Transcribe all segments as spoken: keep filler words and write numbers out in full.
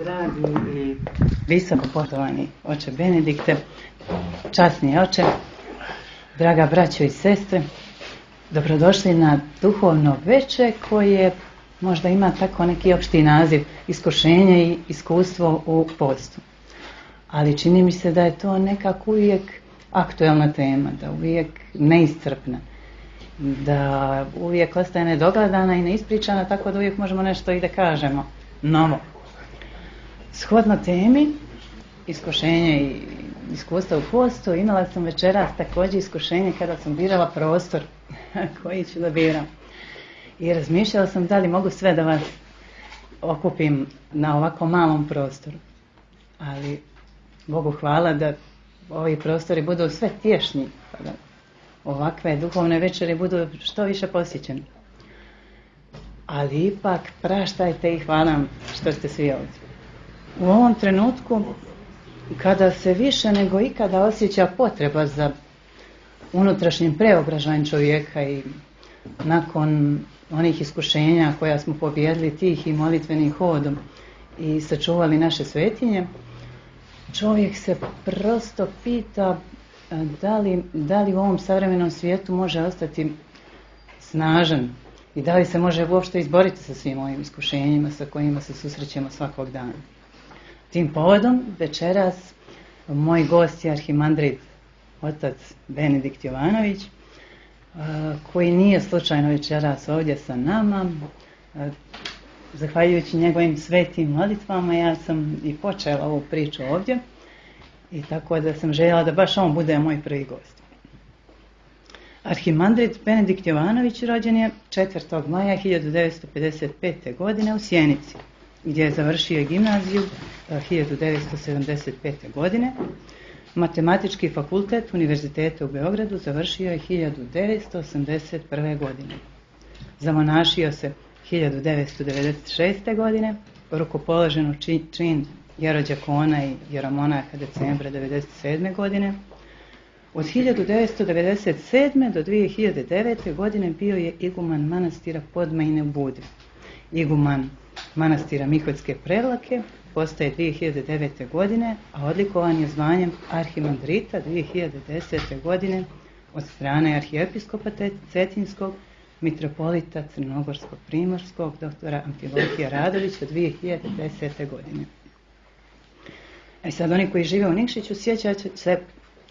Dragi i visoko poštovani oče Benedikte, časni oče, draga braćo i sestre, dobrodošli na duhovno veče koje možda ima tako neki opšti naziv iskušenje i iskustvo u postu. Ali čini mi se da je to nekako uvijek aktuelna tema, da uvijek neiscrpna, da uvijek ostaje nedogledana i neispričana, tako da uvijek možemo nešto i da kažemo novo. Shodno temi, iskušenje i iskustva u postu, imala sam večeras također iskušenje kada sam birala prostor koji ću da biram. I razmišljala sam da li mogu sve da vas okupim na ovako malom prostoru. Ali Bogu hvala da ovi prostori budu sve tješnji, pa da ovakve duhovne večeri budu što više posjećeni. Ali ipak praštajte i hvala vam što ste svi ovdje. U ovom trenutku, kada se više nego ikada osjeća potreba za unutrašnjim preobražajem čovjeka i nakon onih iskušenja koja smo pobijedili tih i molitvenim hodom i sačuvali naše svetinje, čovjek se prosto pita da li, da li u ovom savremenom svijetu može ostati snažan i da li se može uopšte izboriti sa svim ovim iskušenjima sa kojima se susrećemo svakog dana. Tim povodom večeras moj gost je arhimandrit otac Benedikt Jovanović, koji nije slučajno večeras ovdje sa nama. Zahvaljujući njegovim svetim molitvama ja sam i počela ovu priču ovdje i tako da sam željela da baš on bude moj prvi gost. Arhimandrit Benedikt Jovanović rođen je četvrtog maja hiljadu devetsto pedeset pete. godine u Sjenici, gdje je završio gimnaziju hiljadu devetsto sedamdeset pete. godine. Matematički fakultet Univerziteta u Beogradu završio je hiljadu devetsto osamdeset prve. godine. Zamonašio se hiljadu devetsto devedeset šeste. godine, rukopoložen u čin jerođakona i jeromonaha decembra devedeset sedme. godine. Od hiljadu devetsto devedeset sedme. do dvije hiljade devete. godine bio je iguman manastira Podmajine u Budvi. Iguman manastira Miholjske Prevlake postaje dvije hiljade devete. godine, a odlikovan je zvanjem arhimandrita dvije hiljade desete. godine od strane arhijepiskopa Cetinskog, mitropolita Crnogorsko-Primorskog, doktora Amfilohija Radovića dvije hiljade desete. godine. E sad, oni koji žive u Nikšiću sjećaju se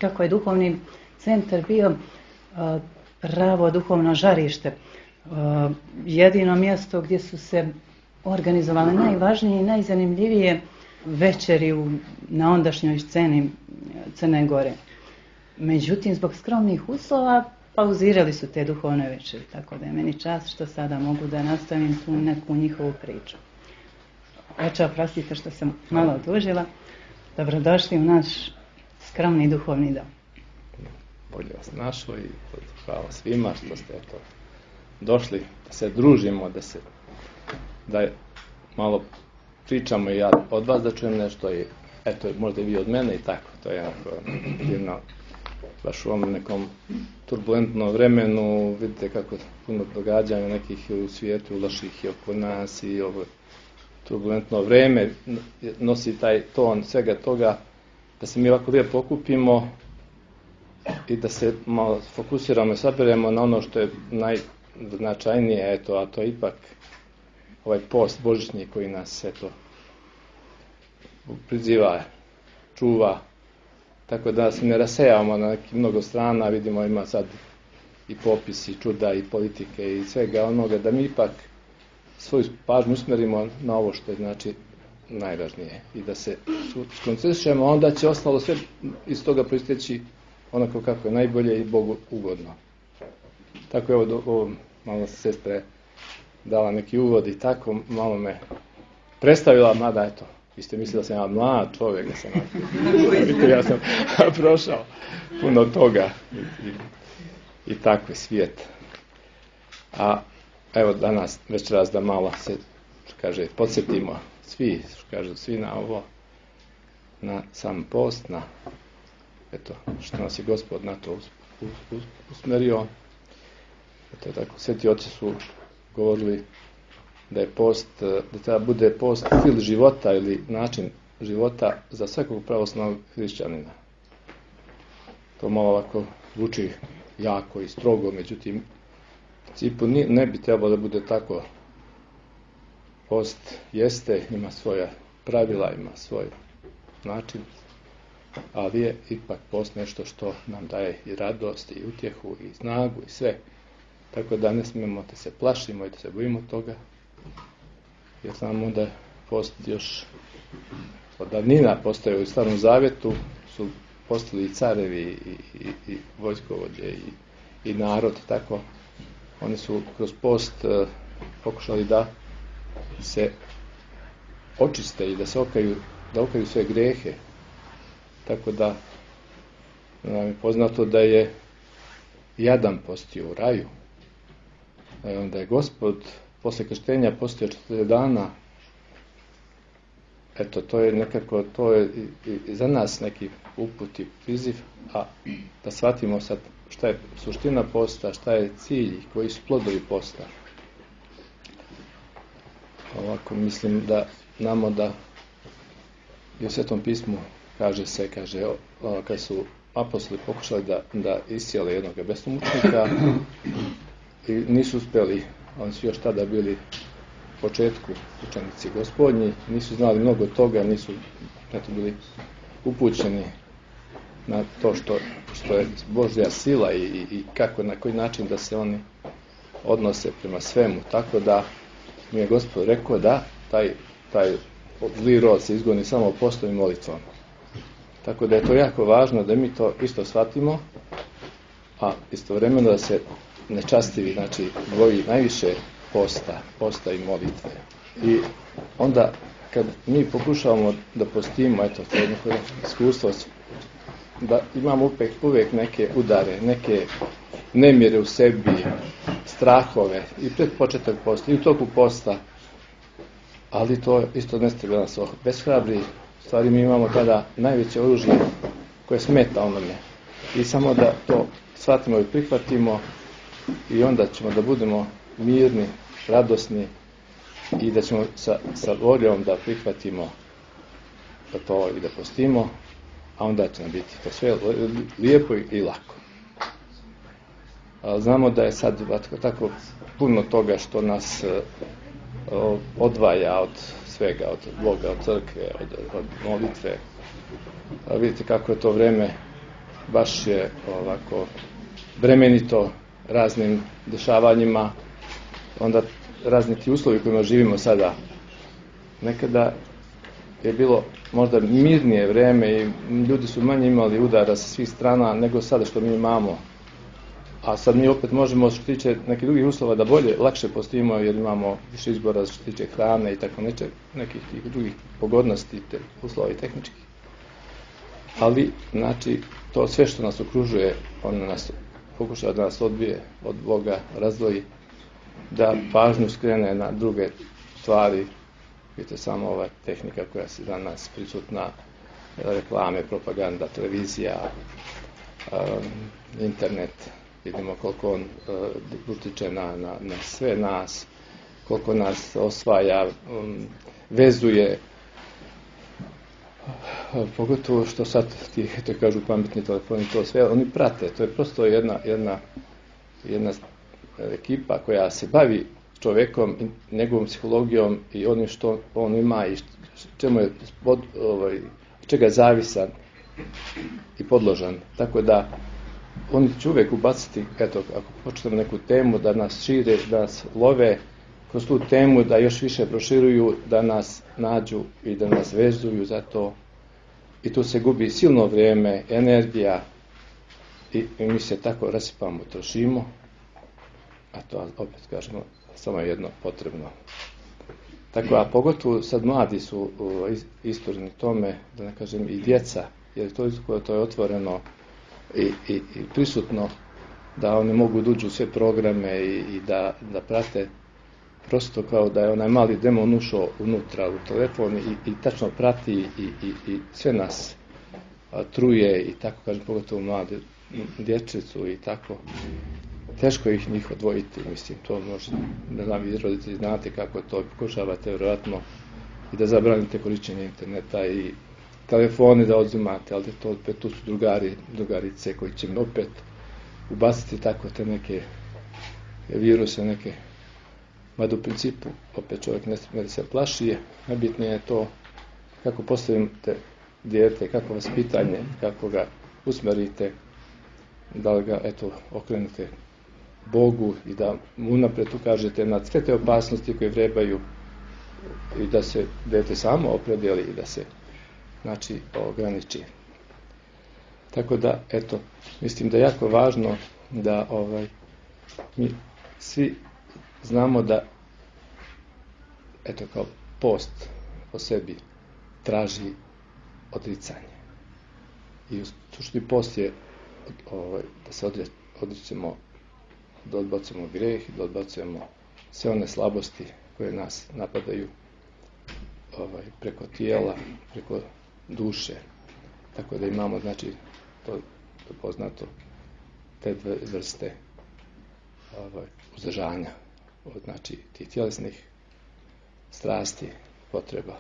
kako je duhovni centar bio a, pravo duhovno žarište, a, jedino mjesto gdje su se organizovale najvažnije i najzanimljivije večeri u, na ondašnjoj sceni Crne Gore. Međutim, zbog skromnih uslova pauzirali su te duhovne večeri, tako da je meni čast što sada mogu da nastavim tu neku njihovu priču. Oče, oprostite što sam malo odužila. Dobrodošli u naš skromni duhovni dom. Bolje vas našlo i hvala svima što ste eto došli da se družimo, da se da malo pričamo i ja od vas da čujem nešto i eto možda i vi od mene i tako. To je jako divno. Baš u ovom nekom turbulentnom vremenu vidite kako puno događanja nekih u svijetu, loših i oko nas i ovo turbulentno vreme nosi taj ton svega toga, da se mi ovako lijepo okupimo i da se malo fokusiramo i saberemo na ono što je najznačajnije, eto, a to je ipak ovaj post božićni koji nas eto priziva, čuva, tako da se ne rasejavamo na nekih mnogo strana, vidimo ima sad i popis i čuda i politike i svega onoga, da mi ipak svoju pažnju usmjerimo na ovo što je znači najvažnije i da se skoncentrišemo, onda će ostalo sve iz toga proisteći onako kako je najbolje i Bogu ugodno. Tako je ovo, ovo malo sestre dala neki uvod i tako malo me predstavila, mada eto, vi ste mislili da sam ja mlad čovjek, da sam ja, ja sam prošao puno toga i, i, i tako je svijet. A evo danas, večeras da malo se, što kaže, podsjetimo svi, što kaže, svi na ovo, na sam post, na eto, što nas je Gospod na to us, us, us, usmerio. Eto tako, sveti oci su govorili da je post, da treba bude post stil života ili način života za svakog pravoslavnog hrišćanina. To malo ovako zvuči jako i strogo, međutim, u principu ne bi trebalo da bude tako. Post jeste, ima svoja pravila, ima svoj način, ali je ipak post nešto što nam daje i radost, i utjehu, i snagu, i sve. Tako da ne smijemo da se plašimo i da se bojimo toga, jer znamo da post još od davnina postoje u Starom Zavjetu, su postali i carevi, i, i, i vojskovođe, i, i narod, tako. Oni su kroz post uh, pokušali da se očiste i da se okaju, da okaju sve grehe. Tako da nam je poznato da je Jadan postio u raju, da je Gospod posle krštenja postio četrdeset dana. Eto, to je nekako, to je i, i za nas neki uput i priziv, a da shvatimo sad šta je suština posta, šta je cilj, koji su plodovi posta. Ovako mislim da znamo da i u Svetom pismu kaže se, kaže, o, kad su apostoli pokušali da, da iscijele jednog besnomučnika i nisu uspjeli, oni su još tada bili u početku učenici Gospodnji, nisu znali mnogo toga, nisu eto, bili upućeni na to što, što je Božja sila i, i, i kako, na koji način da se oni odnose prema svemu. Tako da mi je Gospod rekao da taj, taj zli rod se izgoni samo postom i molitvom. Tako da je to jako važno da mi to isto shvatimo, a istovremeno da se nečastivi, znači dvoji najviše posta, posta i molitve. I onda kad mi pokušavamo da postimo, eto, to je neko iskustvo, da imamo uvijek, uvijek neke udare, neke nemire u sebi, strahove i pred početak posta i u toku posta, ali to isto ne treba nas obeshrabri. U stvari mi imamo tada najveće oružje koje smeta onome i samo da to shvatimo i prihvatimo i onda ćemo da budemo mirni, radosni i da ćemo sa, sa voljom da prihvatimo da to i da postimo, a onda će nam biti to sve lijepo i lako. A znamo da je sad tako puno toga što nas odvaja od svega, od Boga, od crkve, od, od molitve. A vidite kako je to vreme baš je ovako bremenito raznim dešavanjima, onda razni ti uslovi kojima živimo sada. Nekada je bilo možda mirnije vreme i ljudi su manje imali udara sa svih strana nego sada što mi imamo. A sad mi opet možemo što tiče nekih drugih uslova da bolje, lakše postimo jer imamo više izbora što tiče hrane i tako neče, nekih tih drugih pogodnosti, te uslova i tehničkih. Ali, znači, to sve što nas okružuje, ono nas pokušava da nas odbije od Boga, razdvoji, da pažnju skrene na druge stvari. Vidite samo ova tehnika koja se za nas prisutna, reklame, propaganda, televizija, um, internet. Vidimo koliko on uh, utiče na, na, na sve nas, koliko nas osvaja, um, vezuje. Pogotovo što sad ti, to kažu pametni telefoni, to sve, oni prate. To je prosto jedna, jedna, jedna ekipa koja se bavi čovjekom, njegovom psihologijom i onim što on ima i čemu je pod, ovaj, čega je zavisan i podložan. Tako da oni će uvijek ubaciti, eto, ako počnemo neku temu, da nas šire, da nas love kroz tu temu, da još više proširuju, da nas nađu i da nas vezuju za to. I tu se gubi silno vrijeme, energija i, i mi se tako rasipamo, trošimo, a to opet kažemo samo jedno potrebno. Tako, a pogotovo sad mladi su istureni tome, da ne kažem i djeca, jer to, to je otvoreno i, i, i prisutno da oni mogu da uđu u sve programe i, i da, da prate prosto kao da je onaj mali demon ušao unutra u telefon i, i tačno prati i, i, i sve nas a, truje i tako kažem pogotovo mlade dječicu i tako. teško ih njih odvojiti, mislim, to možda, ne znam, vi roditelji znate kako to pokušavate vjerojatno i da zabranite korišćenje interneta i telefoni da odzimate, ali to opet tu su drugari, drugarice koji će mi opet ubaciti tako te neke viruse, neke, mada u principu opet čovjek ne smije da se plaši, najbitnije je to kako postavite dijete, kako vaspitanje, kako ga usmerite, da li ga, eto, okrenete Bogu i da mu unaprijed ukažete na sve te opasnosti koje vrebaju i da se dijete samo opredijeli i da se, znači, ograniči. Tako da, eto, mislim da je jako važno da ovaj, mi svi znamo da, eto, kao post po sebi traži odricanje. I u suštini post je ovaj, da se odričemo, da odbacujemo grijeh i da odbacujemo sve one slabosti koje nas napadaju ovaj, preko tijela, preko duše. Tako da imamo, znači, to je poznato, te dve vrste ovaj, uzdržanja od, znači, tih tjelesnih strasti, potreba.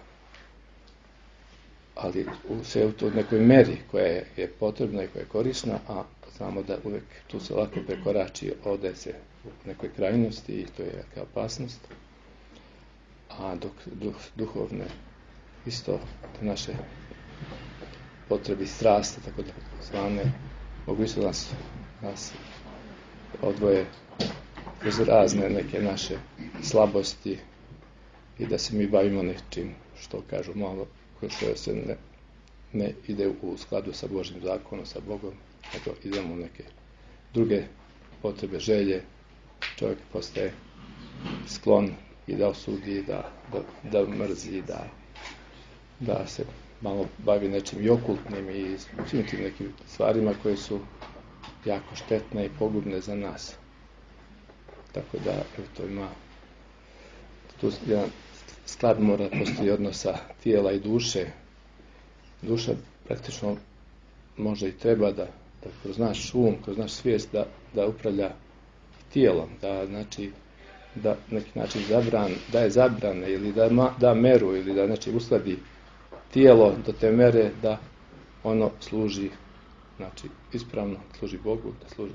Ali u sve u toj nekoj meri koja je, je potrebna i koja je korisna, a znamo da uvijek tu se lako prekorači, ode se u nekoj krajnosti i to je jaka opasnost. A dok duh, duhovne, isto te naše potrebe i strasti, tako da zvane, mogu isto nas, nas odvoje kroz razne neke naše slabosti i da se mi bavimo nečim što kažu malo, što se ne, ne ide u skladu sa Božjim zakonom, sa Bogom, nego idemo u neke druge potrebe, želje, čovjek postaje sklon i da osudi, da, da, da mrzi, da, da se malo bavi nečim i okultnim i svim tim nekim stvarima koje su jako štetne i pogubne za nas. Tako da, evo, to ima tu jedan sklad mora postoji odnosa tijela i duše. Duša praktično može i treba da, da kroz naš um, kroz naš svijest da, da upravlja tijelom, da znači da neki način zabran, da je zabrane ili da ma, da meru ili da znači uskladi tijelo do te mere da ono služi, znači ispravno služi Bogu, da služi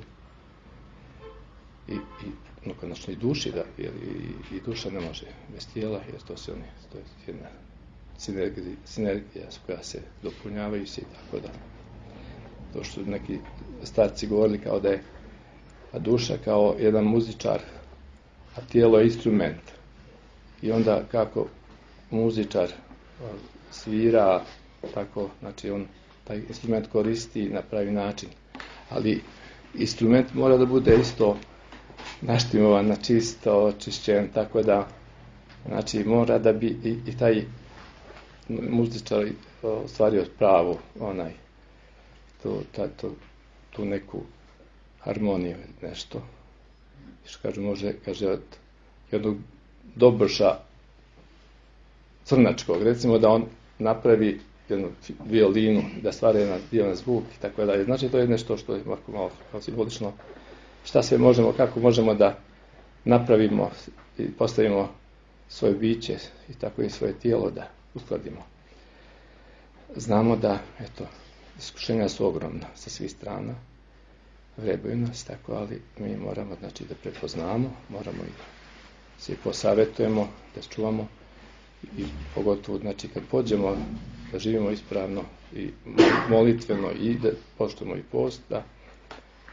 i, i no, konačno i duši, da, jer i, i duša ne može bez tijela, jer to se oni, to je jedna sinergija, sinergija koja se dopunjavaju se i tako da. To što neki starci govorili kao da je a duša kao jedan muzičar, a tijelo je instrument. I onda kako muzičar svira, tako, znači on taj instrument koristi na pravi način. Ali instrument mora da bude isto naštimovan, na čisto, očišćen, tako da, znači mora da bi i, i taj muzičar ostvario pravu, onaj, to, ta, to, tu neku harmoniju, nešto. Što kažu, može, kaže, od jednog dobrša crnačkog, recimo da on napravi jednu violinu, da stvara jedan divan zvuk i tako dalje. Znači, to je nešto što je malo kao simbolično. Šta sve možemo, kako možemo da napravimo i postavimo svoje biće i tako i svoje tijelo da uskladimo. Znamo da, eto, iskušenja su ogromna sa svih strana, vrebaju nas, tako, ali mi moramo, znači, da prepoznamo, moramo i se posavjetujemo, da čuvamo i pogotovo, znači, kad pođemo da živimo ispravno i molitveno i da poštujemo i post, da,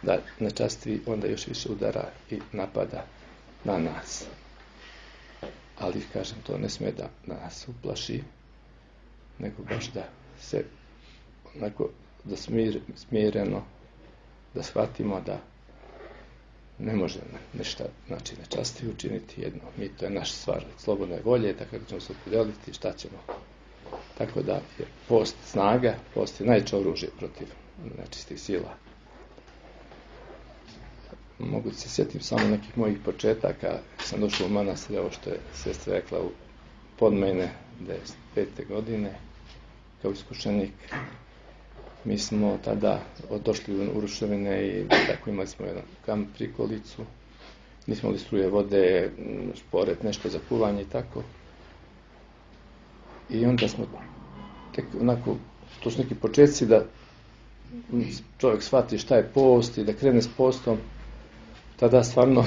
da nečasti onda još više udara i napada na nas. Ali, kažem, to ne sme da nas uplaši, nego baš da se onako, da smir, smireno, da shvatimo da ne može ništa, znači, nečasti učiniti jedno. Mi, to je naš stvar slobodne volje, tako da ćemo se opределiti šta ćemo. Tako da je post snaga, post je najveće oružje protiv nečistih sila. Mogu se sjetim samo nekih mojih početaka. Sam došao u manastir, ovo što je sestra rekla, u pod mene devedeset pete godine kao iskušenik. Mi smo tada došli u ruševine i tako imali smo jedan kamp, prikolicu. Nismo imali struje, vode, šporet, nešto za kuvanje i tako. I onda smo tek onako, to su neki početci da čovjek shvati šta je post i da krene s postom. Tada stvarno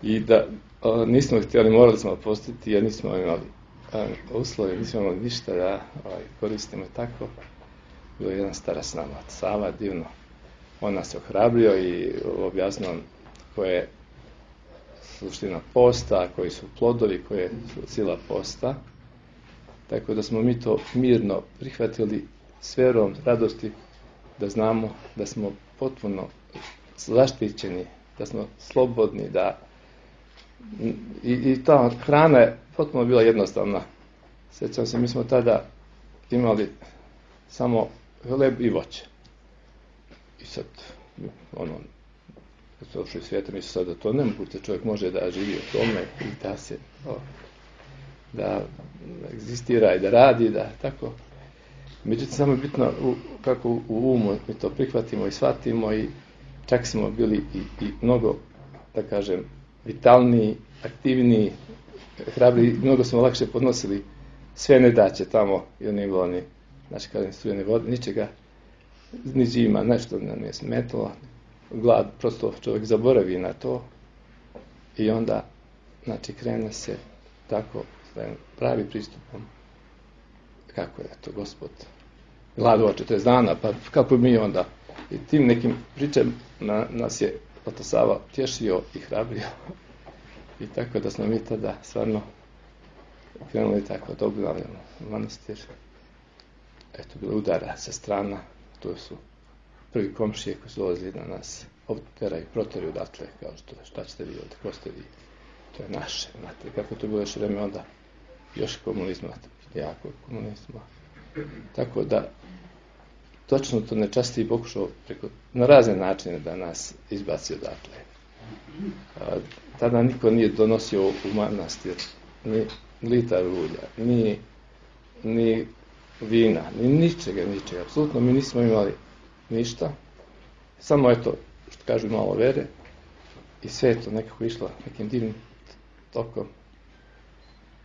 i da a, nismo htjeli, morali smo postiti jer nismo imali a, uslove, nismo imali ništa da a, koristimo i tako. Bilo je jedan stara s nama, Sava, divno. On nas je ohrabrio i objasnio koja je suština posta, koji su plodovi, koja je sila posta. Tako da smo mi to mirno prihvatili s vjerom, radosti, da znamo da smo potpuno zaštićeni, da smo slobodni, da i, i ta hrana je potpuno bila jednostavna. Sjećam se, mi smo tada imali samo hleb i voće. I sad, ono, kad se došli svijeta, misli sad da to nemoguće, čovjek može da živi od tome i da se, o, da egzistira i da radi, da tako. Međutim, samo je bitno u, kako u umu mi to prihvatimo i shvatimo i čak smo bili i, i mnogo, da kažem, vitalniji, aktivniji, hrabri, mnogo smo lakše podnosili sve nedaće tamo i oni bilo ni, znači kada strujene vode, ničega, ni zima, nešto nam je smetalo, glad, prosto čovjek zaboravi na to i onda, znači, krene se tako, pravi pristupom, kako je to Gospod gladova četrdeset dana, pa kako mi onda, i tim nekim pričam na, nas je Otac Sava tješio i hrabrio i tako da smo mi tada stvarno krenuli tako da obnavljamo manastir. Eto, bilo udara sa strana, to su prvi komšije koji su dolazili na nas, obteraju, proteraju odatle, kao što, šta ćete vi ovdje, ko ste vi, to je naše, znate, kako to bilo još vreme onda, još komunizma, jako komunizma. Tako da, točno to nečastiji pokušao preko, na razne načine da nas izbaci odatle. A, tada niko nije donosio u manastir ni litar ulja, ni, ni vina, ni ničega, ničega. Apsolutno mi nismo imali ništa. Samo eto, što kažu, malo vere. I sve je to nekako išlo nekim divnim tokom.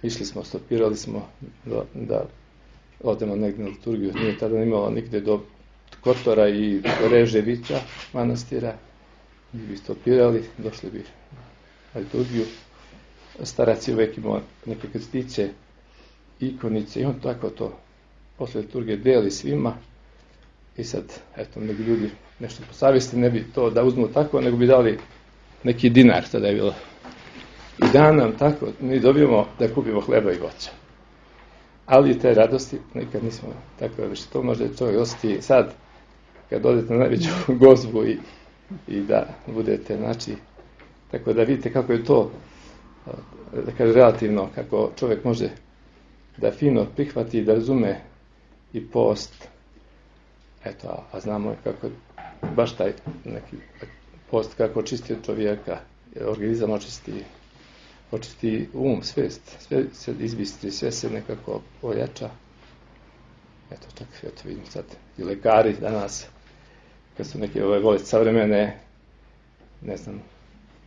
Išli smo, stopirali smo da, da odemo negdje na liturgiju. Nije tada imalo nigde do Kotora i Reževića manastira. Mi bi stopirali, došli bi na liturgiju. Starac je uvijek imao neke krstiće, ikonice i on tako to posle liturgije deli svima. I sad, eto, neki ljudi nešto po savjesti ne bi to da uzmu tako, nego bi dali neki dinar, tada je bilo. I dan nam tako, mi dobijemo da kupimo hleba i voća. Ali te radosti nikad nismo tako više. To može čovjek osjeti sad, kad odete na najveću gozbu i, i da budete, znači, tako da vidite kako je to, da kaže, relativno, kako čovjek može da fino prihvati i da razume i post. Eto, a, a znamo kako baš taj neki post kako očisti čovjeka, organizam očisti, očisti um, svijest, sve se izbistri, sve se nekako ojača. Eto, čak, eto, vidim sad i lekari danas, kad su neke ove bolesti savremene, ne znam,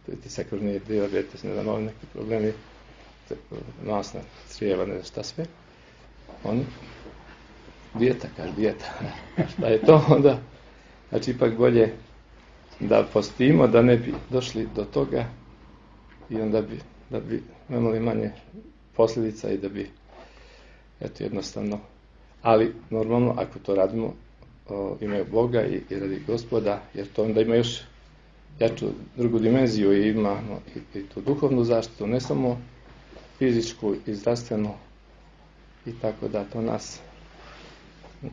pritisak krvni, dijabetes, ne znam, ove neki problemi, masna crijeva, ne znam šta sve, oni, dijeta, kaže, dijeta, šta je to onda? Znači, ipak bolje da postimo, da ne bi došli do toga i onda bi, da bi imali manje posljedica i da bi, eto, jednostavno, ali normalno, ako to radimo, o, imaju Boga i, i radi Gospoda, jer to onda ima još jaču drugu dimenziju i imamo i, i tu duhovnu zaštitu, ne samo fizičku i zdravstvenu i tako da to nas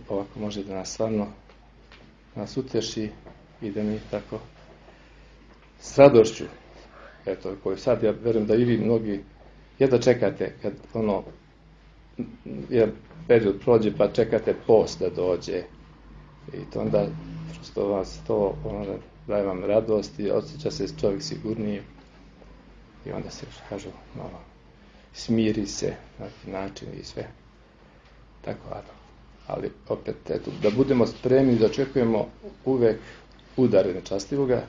ovako može da nas stvarno nas uteši i da mi tako s radošću, eto, koju sad ja verujem da i vi mnogi jedva čekate kad ono jedan period prođe pa čekate post da dođe i to onda što vas to ono, daje vam radost i osjeća se čovjek sigurniji i onda se, što kažu, malo smiri se na neki način i sve tako, a, ali opet, eto, da budemo spremni, da očekujemo uvek udare nečastivoga,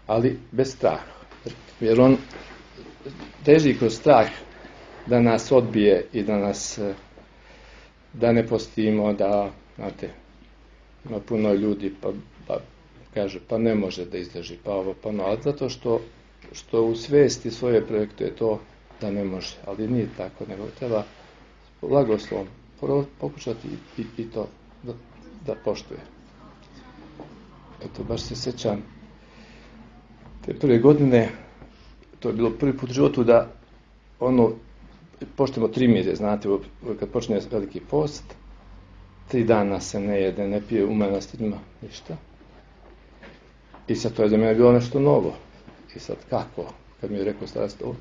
ali bez straha. Jer on teži kroz strah da nas odbije i da nas, da ne postimo, da, znate, ima puno ljudi, pa, pa kaže, pa ne može da izdrži, pa ovo, pa no, ali zato što, što u svesti svoje projekte je to da ne može, ali nije tako, nego treba blagoslovom pokušati i, i, i to da, da poštuje. Eto, baš se sjećam te prve godine, to je bilo prvi put u životu da ono, poštujemo tri mjere, znate, kad počne veliki post, tri dana se ne jede, ne pije, u manastirima, ništa. I sad to je za mene bilo nešto novo. I sad kako? Kad mi je rekao starac to,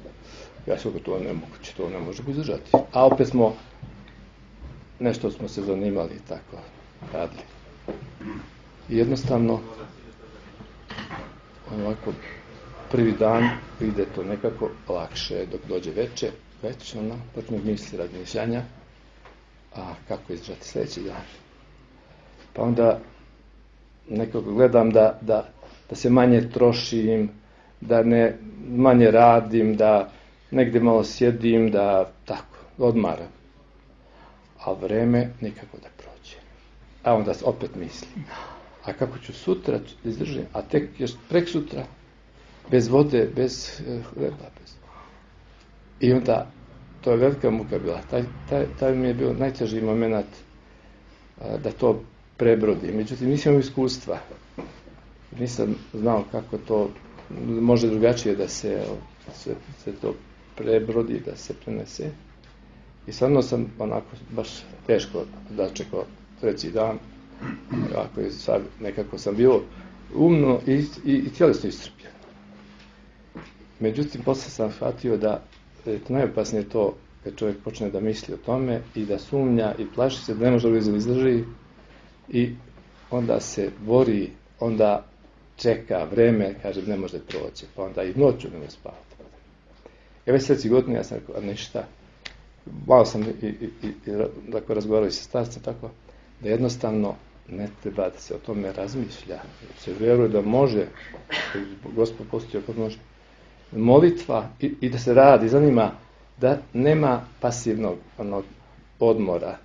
ja sam to nemoguće, to ne možemo izdržati. A opet smo, nešto smo se zanimali i tako radili. I jednostavno, ovako, prvi dan ide to nekako lakše, dok dođe veče, već ono, počne misli razmišljanja, a kako izdržati sljedeći dan. Pa onda nekako gledam da, da, da se manje trošim, da ne manje radim, da negdje malo sjedim, da tako, odmaram. A vreme nikako da prođe. A onda opet mislim, a kako ću sutra izdržati, a tek još prek sutra, bez vode, bez hleba, bez... I onda, to je velika muka bila. Taj, taj, taj mi je bio najteži moment a, da to prebrodi. Međutim, nisam imao iskustva. Nisam znao kako to može drugačije da se, se, se to prebrodi, da se prenese. I stvarno sam onako baš teško začekao treći dan. Ako je sad, nekako sam bio umno i, i, i tjelesno iscrpljen. Međutim, posle sam shvatio da je to najopasnije to kad čovjek počne da misli o tome i da sumnja i plaši se da ne može da izdrži i onda se bori, onda čeka vreme, kaže ne može proći, pa onda i noću ne može spavati. I već sljedeći godin ja sam rekao, a ništa, malo sam i, i, i, i dakle, razgovarao i sa starcem, tako da jednostavno ne treba da se o tome razmišlja, se vjeruje da može, Gospod postoji ako može, molitva i, i da se radi, zanima da nema pasivnog onog odmora,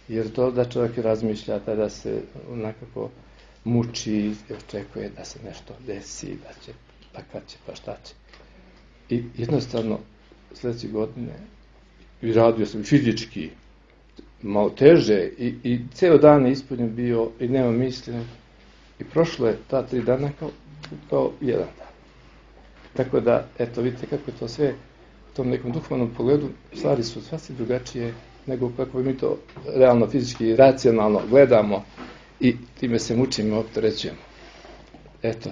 jer to da čovjek razmišlja, tada se nekako muči i očekuje da se nešto desi, da će, pa kad će, pa šta će. I jednostavno sljedeće godine i radio sam fizički malo teže i, i ceo dan je ispunjen bio i nema misli i prošlo je ta tri dana kao, kao jedan dan. Tako da, eto, vidite kako je to sve u tom nekom duhovnom pogledu, stvari su sasvim drugačije nego kako mi to realno, fizički i racionalno gledamo i time se mučimo, opterećujemo. Eto.